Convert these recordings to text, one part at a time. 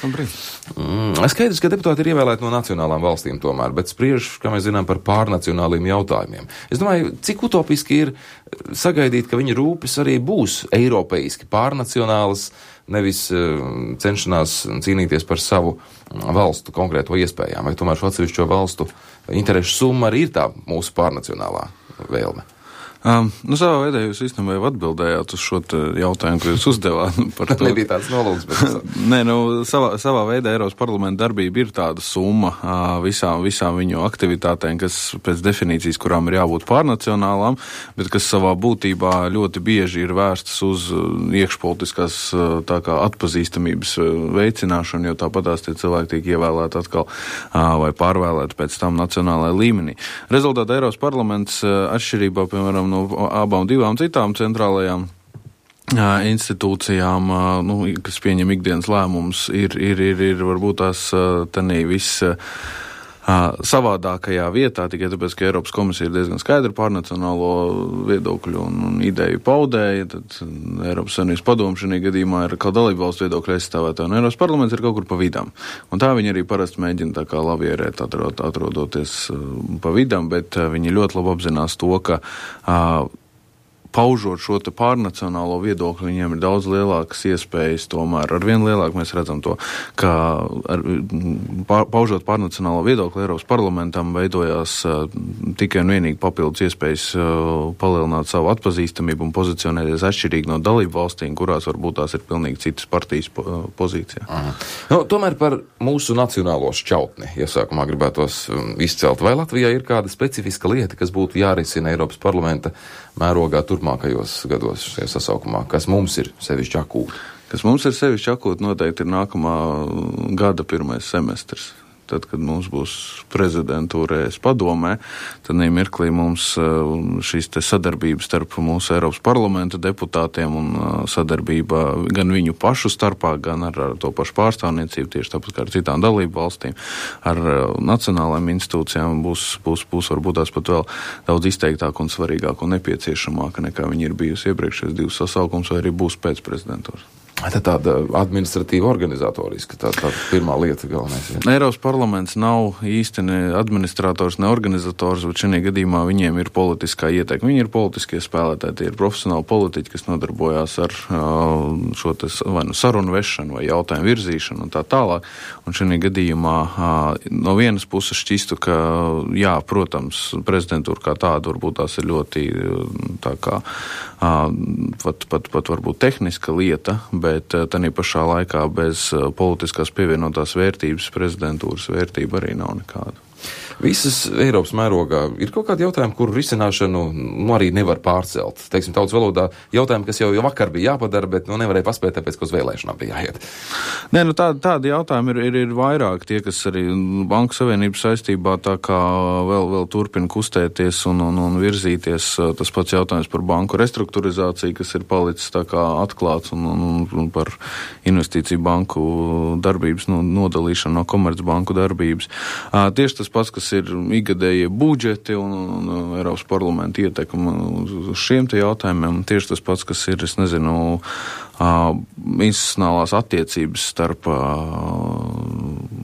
Skaidrs, ka deputāti ir ievēlēti no nacionālām valstīm tomēr, bet spriež, kā mēs zinām, par pārnacionāliem jautājumiem. Es domāju, cik utopiski ir sagaidīt, ka viņa rūpes arī būs eiropeiski pārnacionālas, nevis cenšanās cīnīties par savu valstu konkrēto iespējām, vai tomēr šo atsevišķo valstu interešu summa arī ir tā mūsu pārnacionālā vēlme. Savā veidā jūs īstenībā jau atbildējāt uz šo jautājumu, ko jūs uzdevāt par to. Nebija tāds nolūks, bet... Nē, savā veidā Eiropas parlamenta darbība ir tāda summa visām viņu aktivitātēm, kas pēc definīcijas, kurām ir jābūt pārnacionālām, bet kas savā būtībā ļoti bieži ir vērstas uz iekšpolitiskās tā kā atpazīstamības veicināšanu, jo tāpatās tie cilvēki tiek ievēlēti atkal vai pārvēlēti pēc tam nacionālajā līmenī. Rezultātā Eiropas parlaments atšķirībā, piemēram, no abām divām citām centrālajām institūcijām, kas pieņem ikdienas lēmumus, ir varbūt tās tanī viss savādākajā vietā, tikai tāpēc, ka Eiropas komisija ir diezgan skaidra pārnacionālo viedokļu un ideju paudēja, tad Eiropas Savienības padomu šajā gadījumā ir kā dalību valstu viedokļu aizstāvētāja, un Eiropas parlaments ir kaut kur pa vidam. Un tā viņi arī parasti mēģina tā kā lavierēt, atrodoties pa vidam, bet viņi ļoti labi apzinās to, ka paužot šo te pārnacionālo viedokli, viņiem ir daudz lielākas iespējas tomēr. Arvien lielāk mēs redzam to, ka paužot pārnacionālo viedokli Eiropas parlamentam veidojās tikai un vienīgi papildus iespējas palielināt savu atpazīstamību un pozicionēties atšķirīgi no dalību valstīm, kurās varbūt tās ir pilnīgi citas partijas pozīcijā. Tomēr par mūsu nacionālo šķautni iesākumā gribētos izcelt. Vai Latvijā ir kāda specifiska lieta, kas būtu jārisina Eiropas parlamenta mērogā turpmākajos gados šajā sasaukumā, kas mums ir sevišķi akūti? Kas mums ir sevišķi akūti noteikti ir nākamā gada pirmais semestrs. Tad, kad mums būs prezidentūra ES padomē, tad mirklī mums šīs te sadarbības starp mūsu Eiropas parlamenta deputātiem un sadarbība gan viņu pašu starpā, gan ar to pašu pārstāvniecību, tieši tāpat kā ar citām dalību valstīm, ar nacionālajām institūcijām būs varbūt tās pat vēl daudz izteiktāk un svarīgāk un nepieciešamāka nekā viņi ir bijusi iepriekšējos divus sasaukums vai arī būs pēc prezidentūras. Tāda administratīva organizatoriska, tā pirmā lieta galvenais. Ja? Eiropas parlaments nav īsti ne administrators, ne organizators, bet šajā gadījumā viņiem ir politiskā ieteikuma. Viņi ir politiskie spēlētāji, tie ir profesionāli politiķi, kas nodarbojās ar šo vai nu sarunu vešanu vai jautājumu virzīšanu un tā tālāk. Un šajā gadījumā no vienas puses šķistu, ka jā, protams, prezidentūra kā tāda varbūt tās ir ļoti tā kā pat varbūt tehniska lieta, bet tanī pašā laikā bez politiskās pievienotās vērtības prezidentūras vērtība arī nav nekāda. Visas Eiropas mērogā ir kaut kādi jautājumi, kuru risināšanu arī nevar pārcelt. Teiksim, tautas valodā jautājumi, kas jau vakar bija jāpadara, bet nevarēja paspēt, tāpēc, ka uz vēlēšanām bija jāiet. Nē, tādi jautājumi ir vairāk. Tie, kas arī Banku Savienības saistībā tā kā vēl turpina kustēties un virzīties. Tas pats jautājums par banku restruktūrizāciju, kas ir palicis tā kā atklāts un par investīciju banku darbības nodalīšanu no komercbanku darbības. Tieši tas pats, kas ir ikgadējie budžeti un Eiropas parlamenta ietekme uz šiem te jautājumiem. Tieši tas pats, kas ir, institucionālās attiecības starp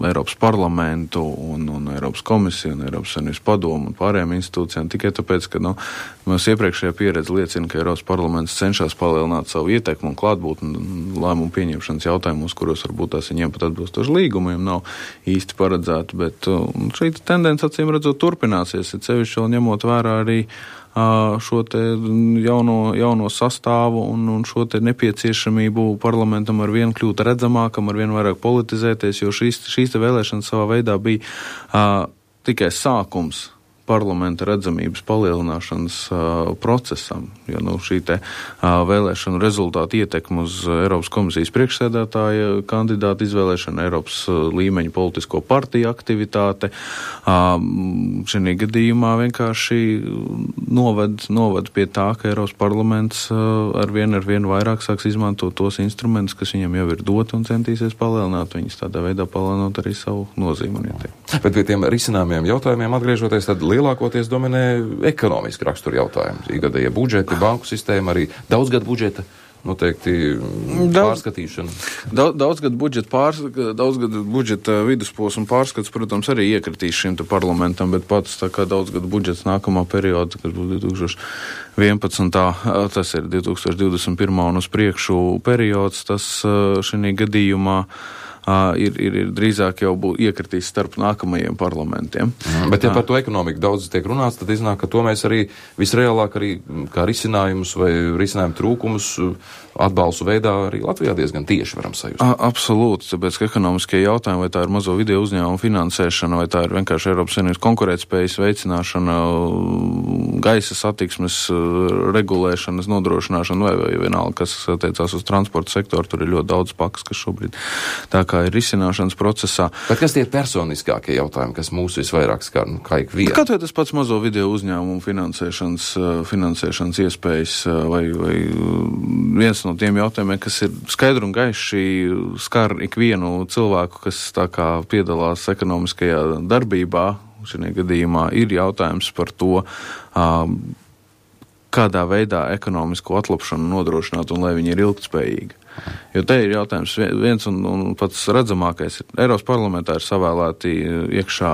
Eiropas parlamentu un Eiropas komisiju un Eiropas Savienības padomu un pārējām institūcijām. Tikai tāpēc, ka mēs iepriekšējā pieredze liecina, ka Eiropas parlaments cenšas palielināt savu ietekmu un klātbūtni lēmumu pieņemšanas jautājumos, kuros varbūt tās viņiem pat atbilstoši līgumiem nav īsti paredzēti, bet šī tendence acīm redzot turpināsies, ir sevišķi vēl ņemot vērā arī šo te jauno sastāvu un šo te nepieciešamību parlamentam ar vien kļūt redzamākam, ar vien vairāk politizēties, jo šīs te vēlēšanas savā veidā bija tikai sākums parlamenta redzamības palielināšanas procesam, jo šī te vēlēšanu rezultātu ietekme uz Eiropas komisijas priekšsēdētāja kandidātu izvēlēšanu, Eiropas līmeņa politisko partiju aktivitāte, šajā gadījumā vienkārši noved pie tā, ka Eiropas parlaments ar vien vairāk sāks izmantot tos instrumentus, kas viņam jau ir doti un centīsies palielināt viņus, tādā veidā palielinot arī savu nozīmi un ietekmi. Bet pie tiem risināmiem jautājumiem atgriežoties, tad lielākoties dominē ekonomiski rakstura jautājumi. Ikgadējie budžeti, banku sistēma, arī daudzgadu budžeta noteikti pārskatīšana. Daudzgadu budžeta vidusposma pārskats, protams, arī iekritīs šim te parlamentam, bet pats tā kā daudzgadu budžets nākamā perioda, kas būs 2011. Tas ir 2021. un uz priekšu periods, tas šī gadījumā ir drīzāk jau iekritīs starp nākamajiem parlamentiem. Bet ja par to ekonomiku daudz tiek runāts, tad iznāk, ka to mēs arī visreālāk arī kā risinājumus vai risinājumu trūkumus atbalstu veidā arī Latvijā diezgan tieši varam sajust. Absolūti, tāpēc, ka ekonomiskie jautājumi, vai tā ir mazo video uzņēmumu finansēšana, vai tā ir vienkārši Eiropas Savienības konkurētspējas veicināšana, gaisa satiksmes regulēšanas nodrošināšana, vai vienalga, kas attiecās uz transporta sektoru, tur ir ļoti daudz pakas, kas šobrīd tā kā ir risināšanas procesā. Bet kas tie personiskākie jautājumi, kas mūs visvairāk skar, kā ikvienu? Kaut vai tas pats mazo video uzņēmumu finansēšanas iespējas, vai viens no tiem jautājumiem, kas ir skaidri un gaiši skar ikvienu cilvēku, kas tā kā piedalās ekonomiskajā darbībā, šajā gadījumā ir jautājums par to, kādā veidā ekonomisko atlapšanu nodrošināt un lai viņi ir ilgtspējīgi. Jo te ir jautājums viens un pats redzamākais. Eiropas parlamentā ir savēlēti iekšā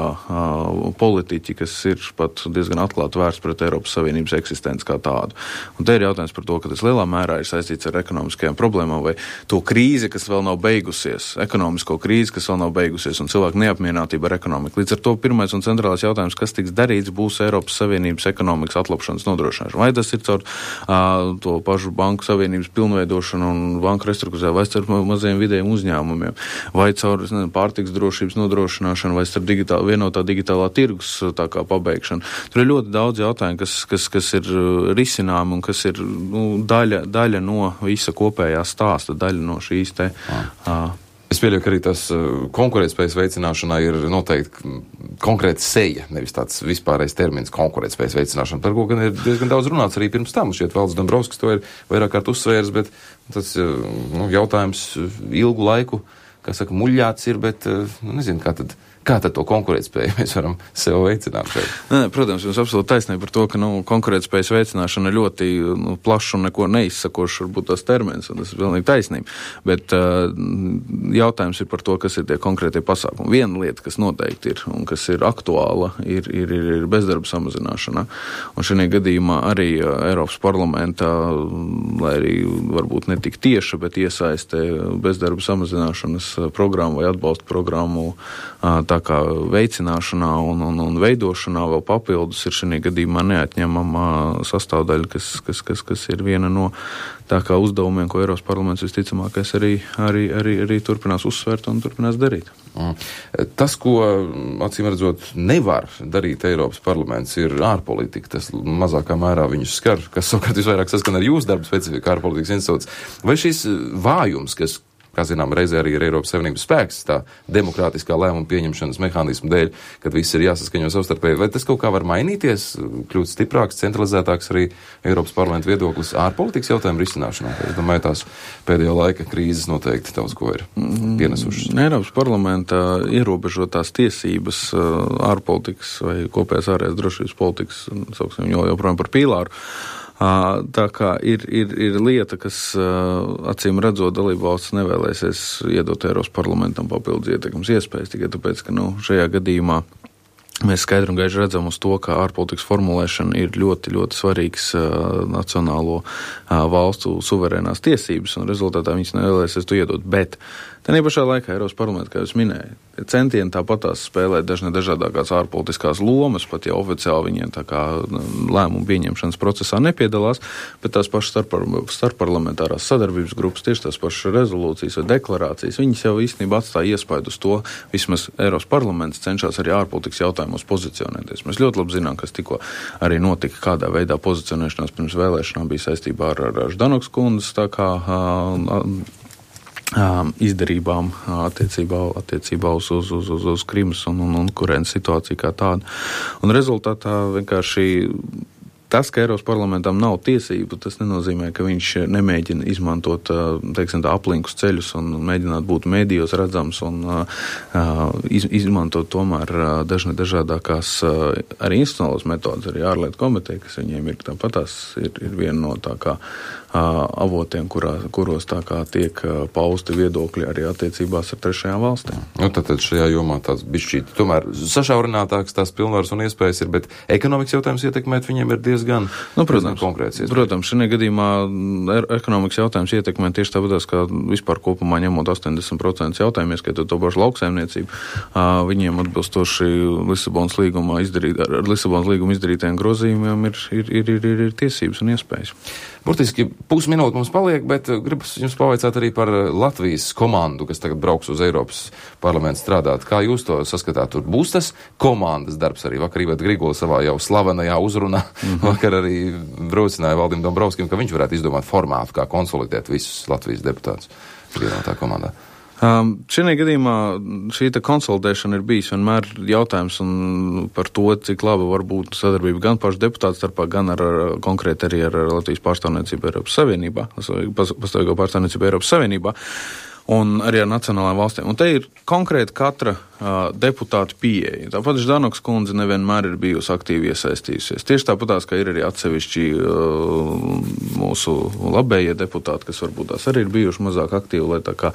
politiķi, kas ir pat diezgan atklāti vērsts pret Eiropas Savienības eksistenci kā tādu. Un te ir jautājums par to, ka tas lielā mērā ir saistīts ar ekonomiskajām problēmām vai to krīzi, kas vēl nav beigusies, ekonomisko krīzi, kas vēl nav beigusies un cilvēku neapmierinātība ar ekonomiku. Līdz ar to pirmais un centrālais jautājums, kas tiks darīts, būs Eiropas Savienības ekonomikas atlapšanas nodrošināšana. Vai tas ir caur to pašu banku savienības pilnveidošanu un banku restruktūrizāciju, vai caur maziem vidējiem uzņēmumiem, vai caur pārtiks drošības nodrošināšanu, vai caur vienotā digitālā tirgus tā kā pabeigšanu. Tur ir ļoti daudz jautājumu, kas ir risināmi un kas ir daļa no visa kopējā stāsta, daļa no šīs te. Es pieļauju, ka arī tas konkurētspējas veicināšanā ir noteikti konkrēta seja, nevis tāds vispārējais termins konkurētspējas veicināšana, par ko gan ir diezgan daudz runāts arī pirms tam. Šķiet, Valdis Dombrovskis to ir vairāk kārt uzsvērs, bet tas jautājums ilgu laiku, kā saka, muļļāts ir, bet nezinu, kā tad to konkurētspēju mēs varam sev veicināt šeit? Protams, jums absolūti taisnība par to, ka konkurētspējas veicināšana ir ļoti plašs un neko neizsakošs varbūt tas termins, un tas ir pilnīgi taisnība. Bet jautājums ir par to, kas ir tie konkrētie pasākumi. Viena lieta, kas noteikti ir un kas ir aktuāla, ir bezdarba samazināšana. Un šajā gadījumā arī Eiropas parlamentā, lai arī varbūt ne tik tieši, bet iesaiste bezdarba samazināšanas programmu vai atbalsta programmu tā kā veicināšanā un veidošanā vēl papildus ir šajā gadījumā neatņemama sastāvdaļa, kas ir viena no tā kā uzdevumiem, ko Eiropas parlaments visticamākais arī turpinās uzsvērt un turpinās darīt. Tas, ko, acīm redzot, nevar darīt Eiropas parlaments, ir ārpolitika. Tas mazākā mērā viņus skar, kas savukārt visvairāk saskan ar jūsu darbu specifiku ārpolitikas institūts. Vai šis vājums, kas, kā zinām, reizē arī ir Eiropas Savienības spēks, tā demokrātiskā lēmuma pieņemšanas mehānismu dēļ, kad viss ir jāsaskaņo savstarpēji, vai tas kaut kā var mainīties, kļūt stiprāks, centralizētāks arī Eiropas parlamenta viedoklis ārpolitikas jautājumu risināšanā? Es domāju, tās pēdējā laika krīzes noteikti daudz ko ir pienesušas. Eiropas parlamenta ierobežotās tiesības ārpolitikas vai kopējās ārējās drošības politikas, sauksim joprojām par pīlāru, tā kā ir lieta, kas acīm redzot dalību valsts nevēlēsies iedot Eiropas parlamentam papildus ietekmes iespējas, tikai tāpēc, ka šajā gadījumā mēs skaidri un gaiši redzam uz to, ka ārpolitikas formulēšana ir ļoti, ļoti svarīgs nacionālo valstu suverēnās tiesības, un rezultātā viņas nevēlēsies to iedot. Bet tenī pašā laikā Eiropas parlaments, kā jūs minēju, centieni tāpatās spēlēt dažādākās ārpolitiskās lomas, pat ja oficiāli viņiem tā kā lēmumu pieņemšanas procesā nepiedalās, bet tās pašas starpparlamentārās sadarbības grupas, tieši tās pašas rezolūcijas vai deklarācijas, viņas jau īstenībā atstāja iespaidu uz to, vismaz Eiropas parlaments cenšas arī ārpolitikas jautājumos pozicionēties. Mēs ļoti labi zinām, kas tikko arī notika, kādā veidā pozicionēšanās pirms vēlēšanām bija saistībā ar Ždanokas kundzes tā kā izdarībām attiecībā uz Krimas un Ukrainas situāciju kā tādu. Un rezultātā vienkārši tas, ka Eiropas parlamentam nav tiesību, tas nenozīmē, ka viņš nemēģina izmantot, teiksim tā, aplinkus ceļus un mēģināt būt mēdījos redzams un izmantot tomēr dažādākās arī institucionālas metodas, arī ārlietu komiteja, kas viņiem ir tāpatās, ir viena no tā kā avotiem, kuros tā kā tiek pausti viedokļi arī attiecībās ar trešajām valstīm. Nu, tad šajā jomā tāds bišķīt, tomēr sašaurinātāks tās pilnvaras un iespējas ir, bet ekonomikas jautājums ietekmēt viņiem ir diezgan konkrēts. Protams, šajā gadījumā ekonomikas jautājums ietekmē tieši tāpēc, ka vispār kopumā ņemot 80% jautājumu, ieskaitot to pašu lauksaimniecību, viņiem atbilstoši Lisabonas līguma izdarītajiem grozījumiem ir tiesības un iespējas. Burtiski pusminūte mums paliek, bet gribu jums pavaicāt arī par Latvijas komandu, kas tagad brauks uz Eiropas parlamentu strādāt. Kā jūs to saskatāt? Tur būs tas komandas darbs arī. Vakar Iveta Grigula savā jau slavenajā uzrunā vakar arī braucināja Valdim Dombrovskim, ka viņš varētu izdomāt formātu, kā konsolidēt visus Latvijas deputātus vienotā komandā. Šajā gadījumā šī konsolidēšana ir bijis vienmēr jautājums par to, cik laba var būt sadarbība gan pašu deputātu starpā, gan konkrēti arī ar Latvijas pārstāvniecību Eiropas Savienībā, pastāvīgo pārstāvniecību Eiropas Savienībā un arī ar nacionālajām valstīm. Un te ir konkrēti katra deputātu pieeja. Tāpat Ždanokas kundze nevienmēr ir bijusi aktīvi iesaistījusies. Tieši tāpatās, ka ir arī atsevišķi mūsu labējie deputāti, kas varbūt tās arī ir bijuši mazāk aktīvi, lai tā kā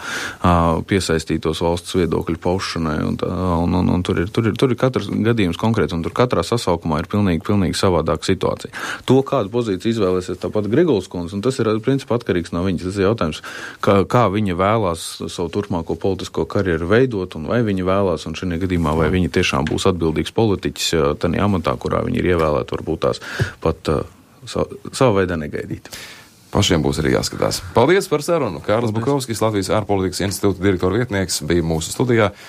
piesaistītos valsts viedokļu paušanai. Un tur ir katrs gadījums konkrēts, un tur katrā sasaukumā ir pilnīgi savādāka situācija. To, kādu pozīciju izvēlēsies tāpat Grigulas kundze, un tas ir principā atkarīgs no viņas. Tas ir jautājums, kā viņa vēlās savu turpmāko politisko karjeru veidot, un vai viņa vēlās, un šajā gadījumā, vai viņi tiešām būs atbildīgs politiķis tādā amatā, kurā viņi ir ievēlēti, varbūt tās pat savā veidā negaidīt. Pašiem būs arī jāskatās. Paldies par sarunu. Kārlis Bukovskis, Latvijas ārpolitikas institūta direktora vietnieks, bija mūsu studijā.